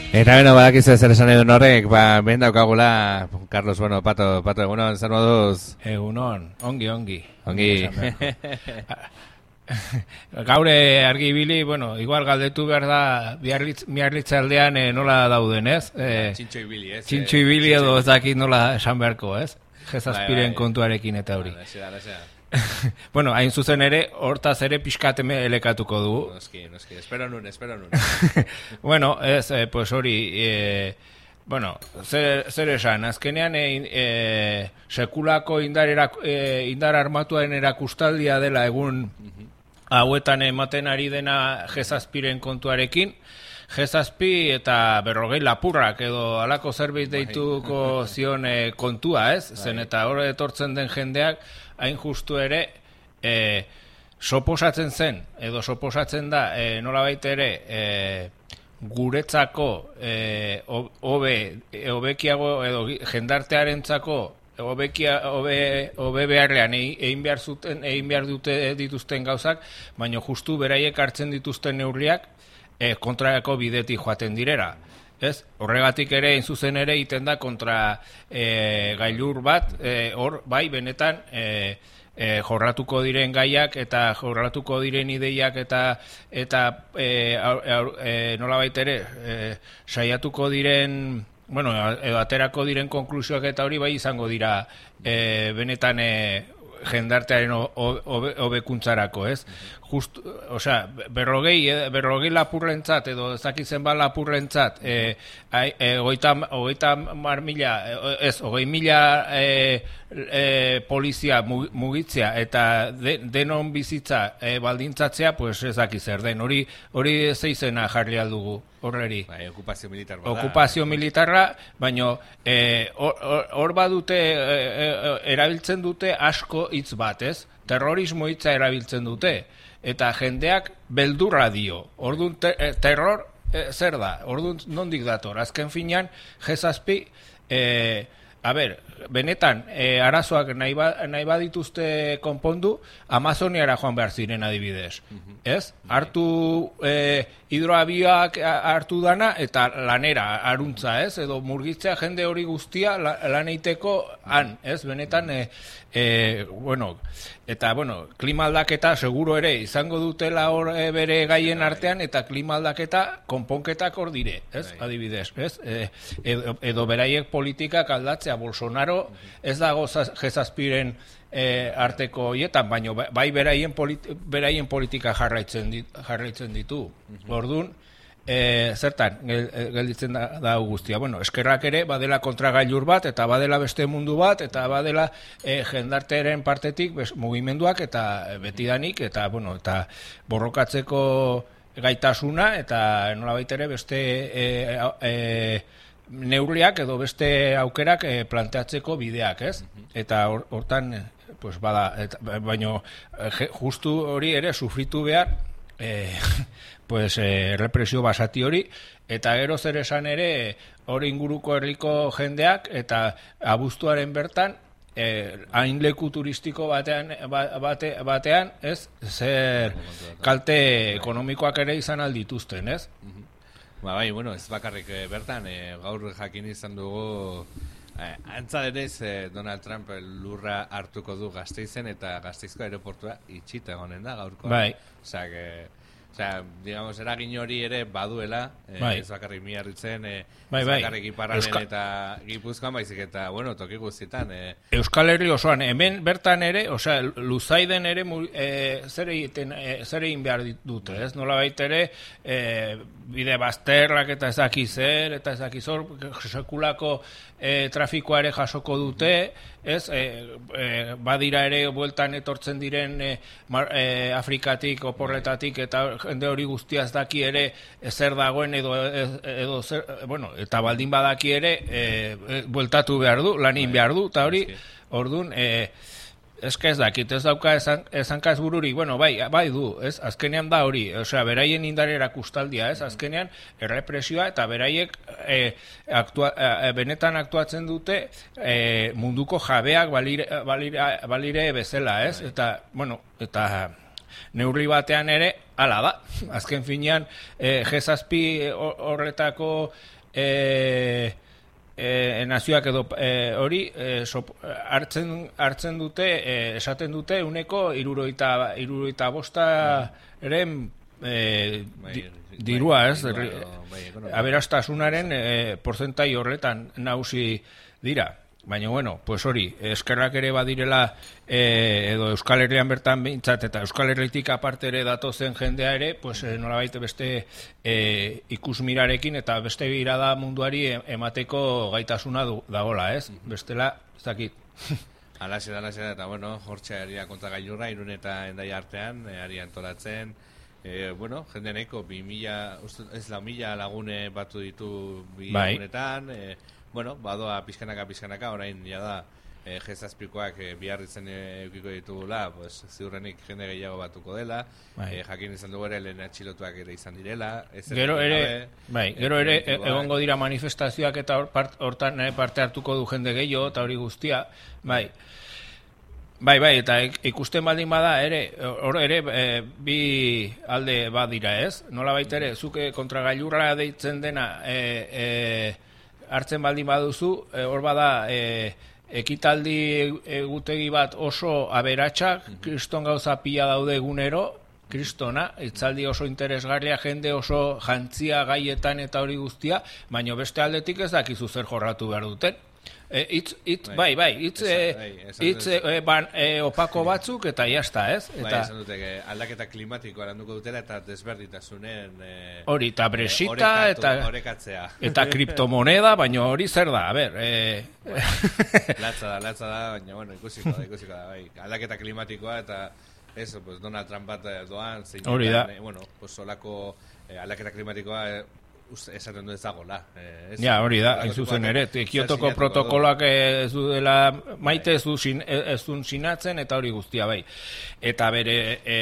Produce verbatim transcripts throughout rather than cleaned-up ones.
Eta beno, badakizu zer esan edun horrek, ba, behin daukagula, Carlos, bueno, pato, pato, egunon, zer moduz? Egunon, ongi, ongi. Ongi. Gaure argi ibili, bueno, igual galdetu behar da, miarritza aldean eh, nola dauden, ez? Eh, Txintxo ibili, ez? Txintxo ibili edo ez dakit nola esan beharko, ez? Jezazpiren kontuarekin eta hori. Bueno, hain zuzen ere, hortaz ere pixkateme elekatuko dugu. Noski, noski, espero nun, espero nun. Bueno, ez, eh, pues hori, eh, bueno, zer, zer esan, azkenean eh, eh, sekulako indar, erak, eh, indar armatuaren erakustaldia dela egun hauetan ematen ari dena Jezazpiren kontuarekin, Jezazpi eta berrogei lapurrak edo alako zerbait deituko zion eh, kontua, ez? Zen eta hor etortzen den jendeak hain justu ere e, soposatzen zen, edo soposatzen da, e, nolabait ere e, guretzako e, hobe hobekiago edo jendartearentzako hobekia hobe hobe beharrean egin behar zuten egin behar dute dituzten gauzak, baina justu beraiek hartzen dituzten neurriak e, kontrako bidetik joaten direra. Ez, horregatik ere, in zuzen ere, iten da kontra e, gailur bat, e, hor, bai, benetan, e, e, jorratuko diren gaiak eta jorratuko diren ideiak eta eta e, e, nolabait ere, e, saiatuko diren, bueno, edo aterako diren konklusioak eta hori bai izango dira e, benetan e, jendartearen hobekuntzarako, ez? Just, osea, berrogei, berrogei lapurrentzat edo ezakitzen ba lapurrentzat, eh, eh, hogeita, hogeita mar mila, ez, hogei mila eh, eh, polizia mugitzea eta de, denon bizitza eh, baldintzatzea, pues ezaki zer den. Hori, hori zeizena jarri aldugu horreri. Bai, okupazio militar bada. Okupazio militarra, baina eh, hor, hor badute, eh, erabiltzen dute asko hitz bat, ez? Terrorismo hitza erabiltzen dute. Eta jendeak beldurra dio. Orduan te, terror e, zer da? Orduan nondik dator? Azken finean, Jezazpi, e, a ber, benetan, e, arazoak nahi, ba, nahi badituzte konpondu, Amazoniara joan behar ziren adibidez. Uh-huh. Ez? Hartu e, hidroabioak hartu dana eta lanera, aruntza, ez? Edo murgitzea jende hori guztia lan eiteko han, ez? Benetan, e, e, bueno, eta, bueno, klima aldaketa seguro ere izango dutela hor e, bere gaien artean, eta klima aldaketa konponketak hor dire, ez? Adibidez, ez? E, edo, edo beraiek politikak aldatzea, Bolsonaro ez dago Jezazpiren e, arteko hietan, baina bai beraien, politi, beraien politika jarraitzen, dit, jarraitzen ditu. Uh-huh. Orduan, e, zertan, gelditzen da, da guztia. Bueno, eskerrak ere, badela kontragailur bat, eta badela beste mundu bat, eta badela e, jendartearen partetik bes, mugimenduak, eta betidanik, eta, bueno, eta borrokatzeko gaitasuna, eta nolabait ere beste e, e, neurriak edo beste aukerak e, planteatzeko bideak, ez? Eta hortan, pues bada, eta, baino justu hori ere sufritu behar, e, pues e, represio basati hori, eta gero zer esan ere hori inguruko herriko jendeak, eta abuztuaren bertan, eh, hain leku turistiko batean, bate, batean, ez, zer kalte ekonomikoak ere izan aldituzten, ez? Ba, bai, bueno, ez bakarrik eh, bertan, eh, gaur jakin izan dugu, eh, antza denez, eh, Donald Trump lurra hartuko du Gasteizen, eta Gasteizko aeroportua itxita egonen da gaurko. Bai. Osea, que, osea, digamos, eragin hori ere baduela, eh, bai. Ez bakarrik Miarritzen, eh, bai, ez bai. bakarrik Iparralden Euska... eta Gipuzkoan, baizik eta, bueno, toki guztietan. Eh. Euskal Herri osoan, hemen bertan ere, osea, Luzaiden ere, eh, zer egiten, eh, zer egin behar dute, ez? Nola baita ere, eh, bide bazterrak eta ezaki zer, eta ezaki zor, sekulako e, trafikoa ere jasoko dute, ez, e, e, badira ere bueltan etortzen diren e, mar, e, Afrikatik, oporretatik, eta jende hori guztiaz daki ere e, zer dagoen edo, edo zer, bueno, eta baldin badaki ere e, e, bueltatu behar du, lanin behar du, eta hori, orduan, e, ez que ez dakit, ez dauka esan, esankaz bururi, bueno, bai, bai du, ez, azkenean da hori, osea, beraien indarera kustaldia, ez, azkenean errepresioa eta beraiek e, aktua, e, benetan aktuatzen dute e, munduko jabeak balire, balire, balire bezala, ez, eta, bueno, eta neurri batean ere, hala da, azken finean, e, G zazpi horretako e, e, nazioak edo e, hori e, sop, hartzen, hartzen dute, e, esaten dute uneko iruroita, iruroita bosta eren e, di, dirua, ez? Aberastasunaren e, porzentai horretan nausi dira. Baina, bueno, pues hori, eskerrak ere badirela eh, edo Euskal Herrian bertan behintzat, eta Euskal Herritik aparte ere datozen jendea ere, pues eh, nolabait beste eh, ikusmirarekin eta beste birada munduari emateko gaitasuna du, dagola, ez? Bestela, ez dakit. Alaxe da, alaxe da, eta bueno, hortxe aria konta gailurra, Irun eta Endai artean, e, aria antolatzen, e, bueno, jende neko, bi mila, ez lau mila lagune batu ditu bi bai. lagunetan, e, bueno, badoa pizkanaka, pizkanaka, orain ja da, e, jezazpikoak e, bihar izen eukiko ditugula, pues, ziurrenik jende gehiago batuko dela, e, jakin izan dugu ere lehen atxilotuak ere izan direla. Gero ere, bai, gero ere egongo dira manifestazioak eta hortan parte hartuko du jende gehiago, eta hori guztia, bai. Bai, bai, eta ikusten baldin bada ere, hor ere e, bi alde badira, ez? Nola baita ere, zuke kontragailurra deitzen dena, e, e, hartzen baldin baduzu, hor e, bada e, ekitaldi egutegi bat oso aberatsak, kriston gauza pila daude egunero, kristona, itzaldi oso interesgarria, jende oso jantzia gaietan eta hori guztia, baina beste aldetik ez dakizu zer jorratu behar duten. E, itz, itz, bai, bai, itz, e, itz e, ban, e, opako batzuk eta jazta, ez? Eta, bai, esan dute, aldaketa klimatikoa landuko dutela eta desberditasunen hori, e, eta bresita e, eta, orekatzea. Eta kriptomoneda, baina hori zer da, a ber. E... Bueno, latza da, latza da, baina, bueno, ikusiko da, ikusiko da, bai. Aldaketa klimatikoa eta eso, pues, Donald Trump bat doan, zein hori da. Eh, bueno, pues, solako eh, aldaketa klimatikoa eh, esaten du ezagola. Eh, ja, hori da, hain zuzen ere, Kiotoko protokoloak ez du dela maite, ez du sin, ez du sinatzen, eta hori guztia bai. Eta bere e,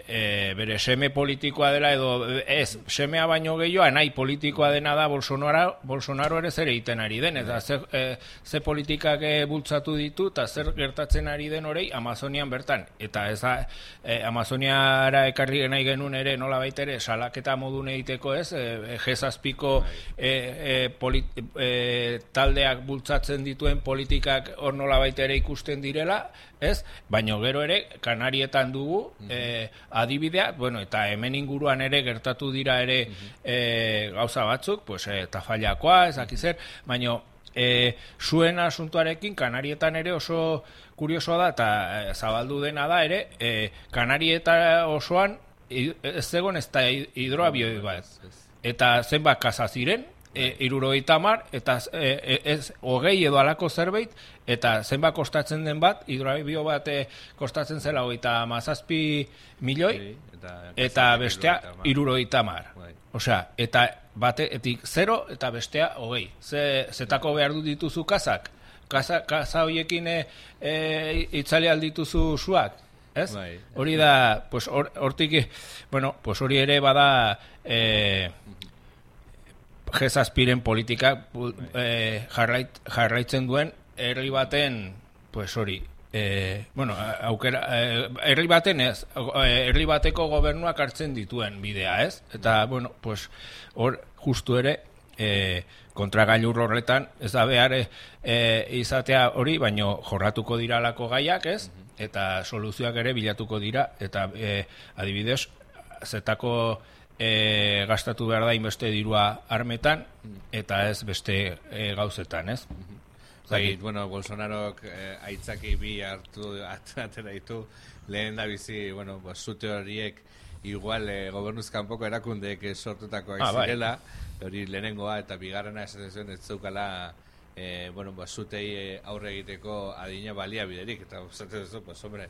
e, bere seme politikoa dela, edo ez, semea baino gehiago, nahi politikoa dena da Bolsonaro, Bolsonaro ere zer egiten ari den, eta ze, e, ze politikak e, bultzatu ditu, eta zer gertatzen ari den horei Amazonian bertan. Eta ez da, e, Amazoniara ekarri nahi genuen ere, nola baita ere, salaketa modun egiteko ez, e, jezazpiko e, e, polit, e, taldeak bultzatzen dituen politikak hor nola baita ere ikusten direla, ez? Baina gero ere, Kanarietan dugu e, adibidea, bueno, eta hemen inguruan ere gertatu dira ere e, gauza batzuk, pues, e, Tafailakoa, ez dakizer, baina e, zuen asuntuarekin Kanarietan ere oso kuriosoa da, eta e, zabaldu dena da ere, e, Kanarieta osoan ez zegoen ez da hidroabioi bat. Eta zenbat kasa ziren, e, irurogeita hamar, eta e, ez hogei edo alako zerbait, eta zenbat kostatzen den bat, hidroabio bat e, kostatzen zela hogeita hamazazpi milioi, eta, eta bestea irurogeita hamar. Osea, eta batetik zero eta bestea hogei. Ze, zetako behar du dituzu kasak? Kasa, kasa horiekin e, e, itzali aldituzu zuak? Ez? Bai. Hori da, pues, or, hortik, bueno, pues hori ere bada eh, jezazpiren politika eh, jarrait, jarraitzen duen herri baten, pues hori, eh, bueno, aukera, eh, herri baten ez, herri bateko gobernuak hartzen dituen bidea, ez? Eta, bueno, pues hor justu ere, eh, kontragailur horretan, ez da behar eh, izatea hori, baino jorratuko diralako gaiak, ez? Eta soluzioak ere bilatuko dira, eta e, adibidez, zetako e, gastatu behar da inbeste dirua armetan, eta ez beste e, gauzetan, ez? Zagit, bueno, Bolsonarok eh, aitzaki bi hartu atera ditu, lehen da bizi, bueno, pues, zute horiek igual eh, gobernuzkanpoko erakundeek sortutakoak ah, zirela, hori lehenengoa eta bigarrena esaten zuen ez zeukala Eh, bueno, ba, zutei aurre egiteko adina balia biderik, eta zaten duzu, pues, hombre,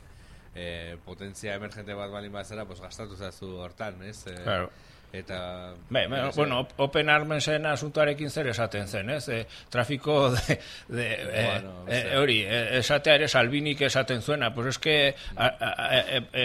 eh, potentzia emergente bat balin bat zera, pues, gastatu zazu hortan, ez? Eh, claro. Eta... Be, bueno, bueno, Open Armensen asuntuarekin zer esaten zen, ez? E, trafiko de... de bueno, e, e, hori, esatea ere Salvinik esaten zuena, pues eske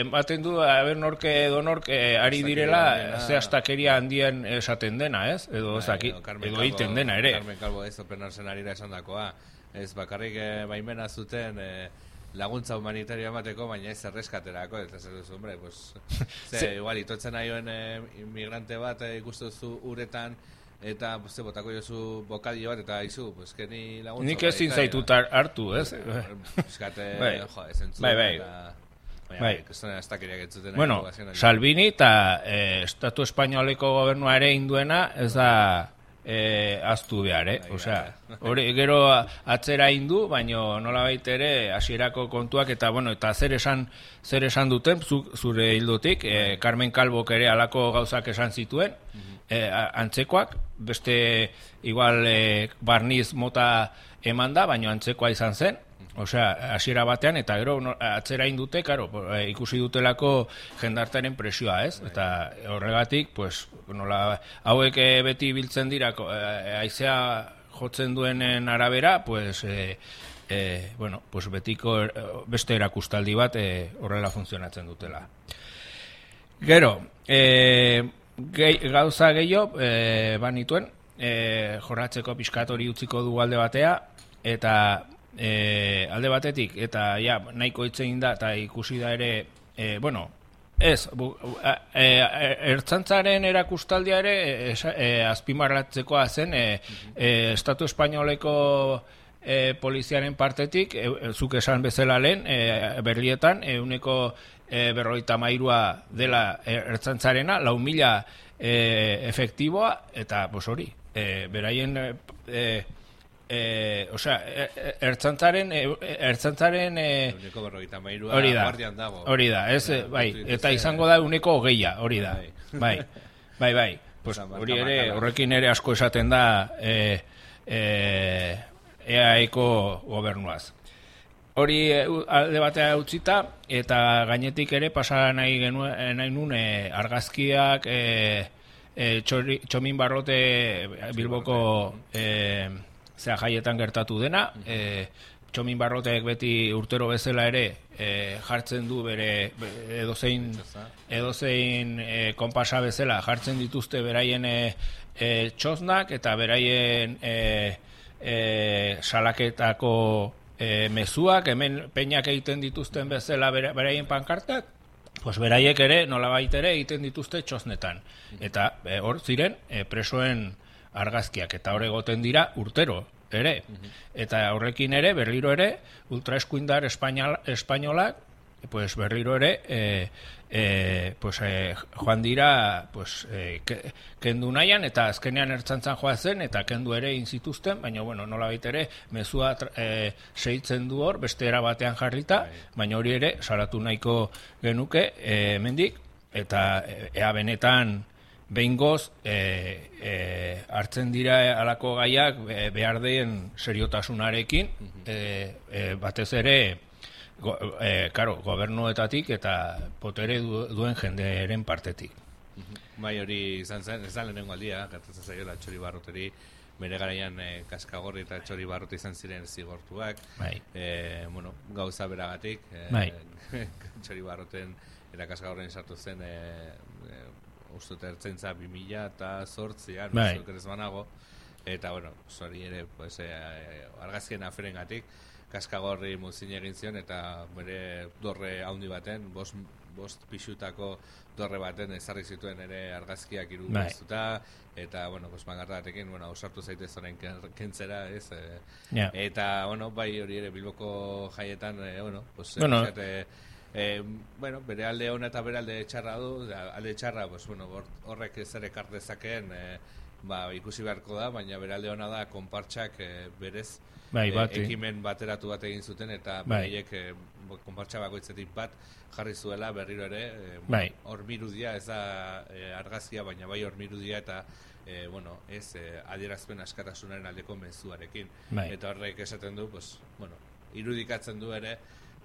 ematen du, haber norke edo norke ari direla, ze astakeria handien esaten dena, ez? Edo ezaki, edo egiten dena ere. Carmen Calvo ez Open Armensen arira esan dakoa, ez bakarrik eh, baimena zuten... Eh, laguntza humanitaria emateko, baina ez erreskaterako, eta zer duzu, hombre, pues, ze, igual, itotzen aioen eh, inmigrante bat eh, ikustu zu uretan eta ze botako jozu bokadio bat, eta izu, pues, keni laguntza. Nik ezin zaitut hartu, ez? Eskate, bai. jo, ezentzu. Bai, bai. Eta, bai. Kestone astakeriak entzuten. Bueno, Salvini eta eh, Estatu Espainoleko gobernua ere induena, ez da eh, aztu behar, eh? Bai, Osea, bai. hori gero atzera indu, baino nolabait ere hasierako kontuak eta bueno, eta zer esan zer esan duten zu, zure hildotik, eh, Carmen Calvok ere halako gauzak esan zituen, eh, antzekoak, beste igual eh, barniz mota emanda, baino antzekoa izan zen. Osea, hasiera batean, eta gero no, atzera indute, karo, ikusi dutelako jendartaren presioa, ez? Eta horregatik, pues, nola, hauek beti biltzen dira, haizea jotzen duenen arabera, pues, e, e, bueno, pues betiko beste erakustaldi bat e, horrela funtzionatzen dutela. Gero, e, gehi, gauza gehiago, e, banituen, e, jorratzeko pixkat hori utziko du alde batea, eta E, alde batetik, eta ja, nahiko hitzein da, eta ikusi da ere, e, bueno, ez, bu, a, e, ertzantzaren erakustaldia ere e, e, azpimarratzekoa zen, e, e, Estatu Espainoleko e, poliziaren partetik, e, zuk esan bezala lehen, e, berrietan, euneko e, berroita mairua dela ertzantzarena, lau mila e, efektiboa, eta, pues hori, e, beraien... E, Eh, o sea, ertzantzaren ertzantzaren eh, hori da, hori da, ez, bai, eta izango da uneko hogeia, hori da, bai, bai, bai, pues hori ere, horrekin ere asko esaten da eh, eh, E A Eko gobernuaz. Hori alde batea utzita, eta gainetik ere pasa nahi genuen, nahi nun, eh, argazkiak, eh, eh, txori, txomin barrote Bilboko eh, zera jaietan gertatu dena, e, Txomin Barrotek beti urtero bezala ere e, jartzen du bere edozein, edozein e, konpasa bezala jartzen dituzte beraien e, e, txosnak eta beraien e, e, salaketako e, mezuak, hemen peinak egiten dituzten bezala beraien pankartak, pues beraiek ere nolabait ere egiten dituzte txosnetan. Eta e, hor ziren e, presoen argazkiak, eta hor egoten dira urtero ere. Eta horrekin ere, berriro ere, ultraeskuindar espainolak, pues berriro ere, e, e, pues, e, joan dira pues, e, kendu nahian, eta azkenean ertzantzan joa zen, eta kendu ere inzituzten, baina, bueno, nolabait ere, mezua e, segitzen du hor, beste era batean jarrita, baina hori ere, salatu nahiko genuke, e, mendik, eta ea benetan, behingoz e, e, hartzen dira halako gaiak e, behar den seriotasunarekin, e, e, batez ere go, e, karo, gobernuetatik eta potere du, duen jendearen partetik. Bai, hori izan zen, ez da lehenengo aldia, gertatzen zaiola Txori Barroteri, bere garaian e, Kaskagorri eta Txori Barrot izan ziren zigortuak, bai. e, bueno, gauza beragatik, e, bai. Txori Barroten eta Kaskagorren sartu zen e, e, uste ertzaintza bi mila eta zortzian, bai. ez banago, eta, bueno, hori ere, pues, e, argazkien aferen gatik, Kaskagorri muzin egin zion, eta bere dorre haundi baten, bost, bost pixutako dorre baten ezarri zituen ere argazkiak irudiztuta, bai. Eta, bueno, pues, mangarta batekin, bueno, ausartu zaitez horrein kentzera, ez? E, yeah. Eta, bueno, bai hori ere Bilboko jaietan, e, bueno, pues, bueno. e, Eh, bueno, bere alde ona eta bere alde txarra du, alde txarra, pues, bueno, horrek zer ekar dezakeen, eh, ba, ikusi beharko da, baina bere alde ona da konpartxak eh, berez bai, eh, ekimen bateratu bat egin zuten, eta bai. bereiek eh, konpartxa bakoitzetik bat jarri zuela berriro ere, eh, bai. hormirudia, ez da eh, argazkia, baina bai hormirudia eta eh, bueno, ez eh, adierazpen askatasunaren aldeko mezuarekin. Bai. Eta horrek esaten du, pues, bueno, irudikatzen du ere,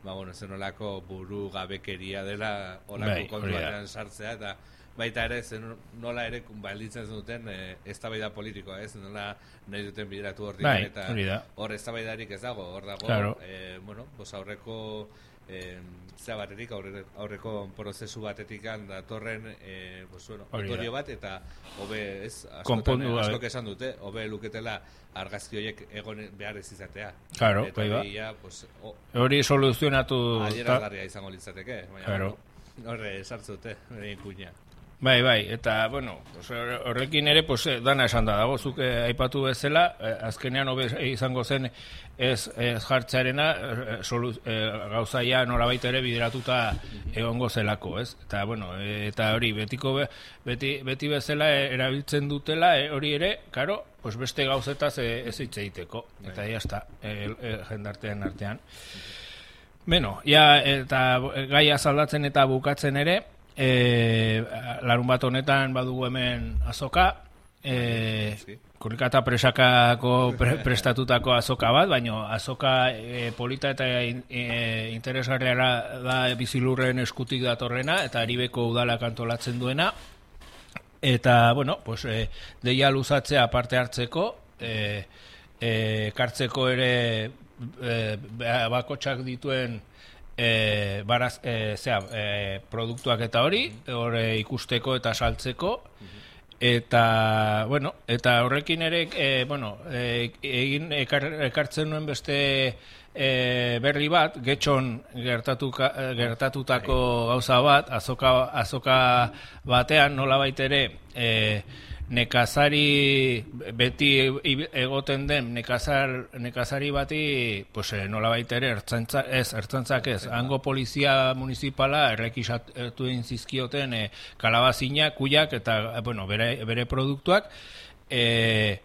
ba, bueno, zen olako buru gabekeria dela olako bai, kontuatean sartzea, eta baita ere, zen nola ere balditzen duten e, eztabaida politikoa, ez, nola nahi duten bideratu hor bai, eta hor eztabaidarik ez dago, hor dago, claro. e, bueno, pues aurreko e, zea batetik, aurre, aurreko prozesu batetik datorren e, pues, bueno, otorio bat, eta hobe, ez, askotan, askok esan dute, hobe luketela argazki horiek egon behar ez izatea. Claro, eta bai ba. Pues, hori soluzionatu... Adierazgarria izango litzateke. Baina, claro. Horre, sartzute, horrein kuña. Bai, bai, eta, bueno, pues, horrekin ere, pues, dana esan da dago, zuk eh, aipatu bezala, eh, azkenean hobe izango zen ez, ez jartzearena, eh, solu, eh, gauzaia nolabait ere bideratuta egongo zelako, ez? Eta, bueno, eh, eta hori, betiko be, beti, beti bezala erabiltzen dutela, eh, hori ere, karo, pues beste gauzetaz eh, ez hitz egiteko, eta ya está, eh, eh, jendartean artean. Beno, ja, eta gaia zaldatzen eta bukatzen ere, E, larun bat honetan badugu hemen azoka, e, Kurrikata presakako pre, prestatutako azoka bat, baino azoka e, polita eta e, interesgarriara da bizilurren eskutik datorrena, eta Aribeko udalak antolatzen duena, eta, bueno, pues, e, deia luzatzea parte hartzeko, e, e, kartzeko ere e, bakotsak dituen E, baraz, e, zera, e, produktuak eta hori, hori ikusteko eta saltzeko, eta, bueno, eta horrekin ere, e, bueno, e, egin ekar, ekartzen nuen beste e, berri bat, Getxon gertatuka, gertatutako gauza bat, azoka, azoka batean, nolabait ere, e, nekazari beti egoten den nekazar, nekazari bati pues, nolabait ere ertzantza, ez, ertzantzak ez, hango polizia municipala errekisatu egin zizkioten e, kalabazina, kuiak eta bueno, bere, bere produktuak e,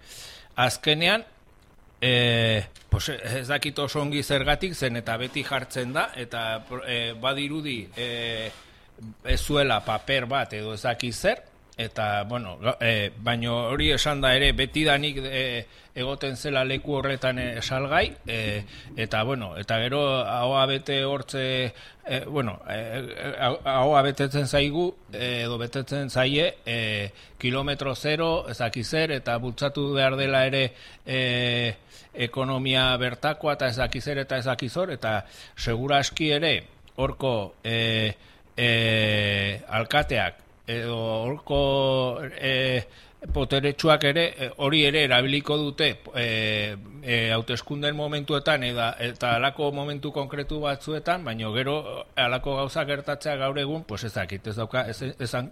azkenean e, pues, ez dakit oso ongi zergatik zen eta beti jartzen da eta e, badirudi e, ez zuela paper bat edo ez dakit zer. Eta, bueno, e, baino hori esan da ere, betidanik e, egoten zela leku horretan e, salgai, e, eta, bueno, eta gero ahoa bete hortze, e, bueno, e, ahoa betetzen zaigu, e, edo betetzen zaie, e, kilometro zero, ezakizer, eta bultzatu behar dela ere e, ekonomia bertakoa, eta ezakizer eta ezakizor, eta segura aski ere, horko e, e, alkateak, edo horko e, poteretsuak ere hori ere erabiliko dute e, e, hauteskunden momentuetan eda, eta alako momentu konkretu batzuetan, baino gero alako gauza gertatzea gaur egun, pues ez dakit, ez dauka ez, ezan,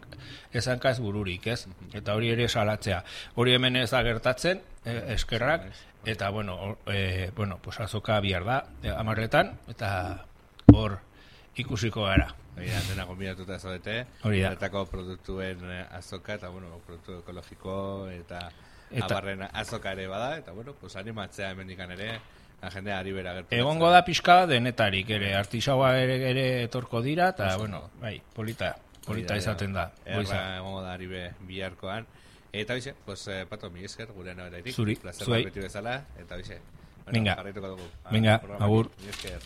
ezankaz bururik, ez? Eta hori ere salatzea. Hori hemen ez da gertatzen, e, eskerrak, eta bueno, e, bueno, pues azoka bihar da, e, amarretan, eta hor ikusiko gara. Hori da, dena gombinatuta zaudete, horretako produktuen azoka, eta, bueno, produktu ekologiko, eta, eta abarren azoka ere bada, eta, bueno, pues animatzea hemendikan ere, la jendea ari bera gertu. Egongo da pixka denetarik ere, artisaua ere, ere etorko dira, eta, bueno, bai, polita, polita izaten da. Erra egongo da ari be biharkoan. Eta, bixe, pues, eh, Pato, mi esker, gure naberatik. Zuri, zuei. Plazer bat beti bezala, eta, bixe. Venga, bueno, venga, agur. Mi esker.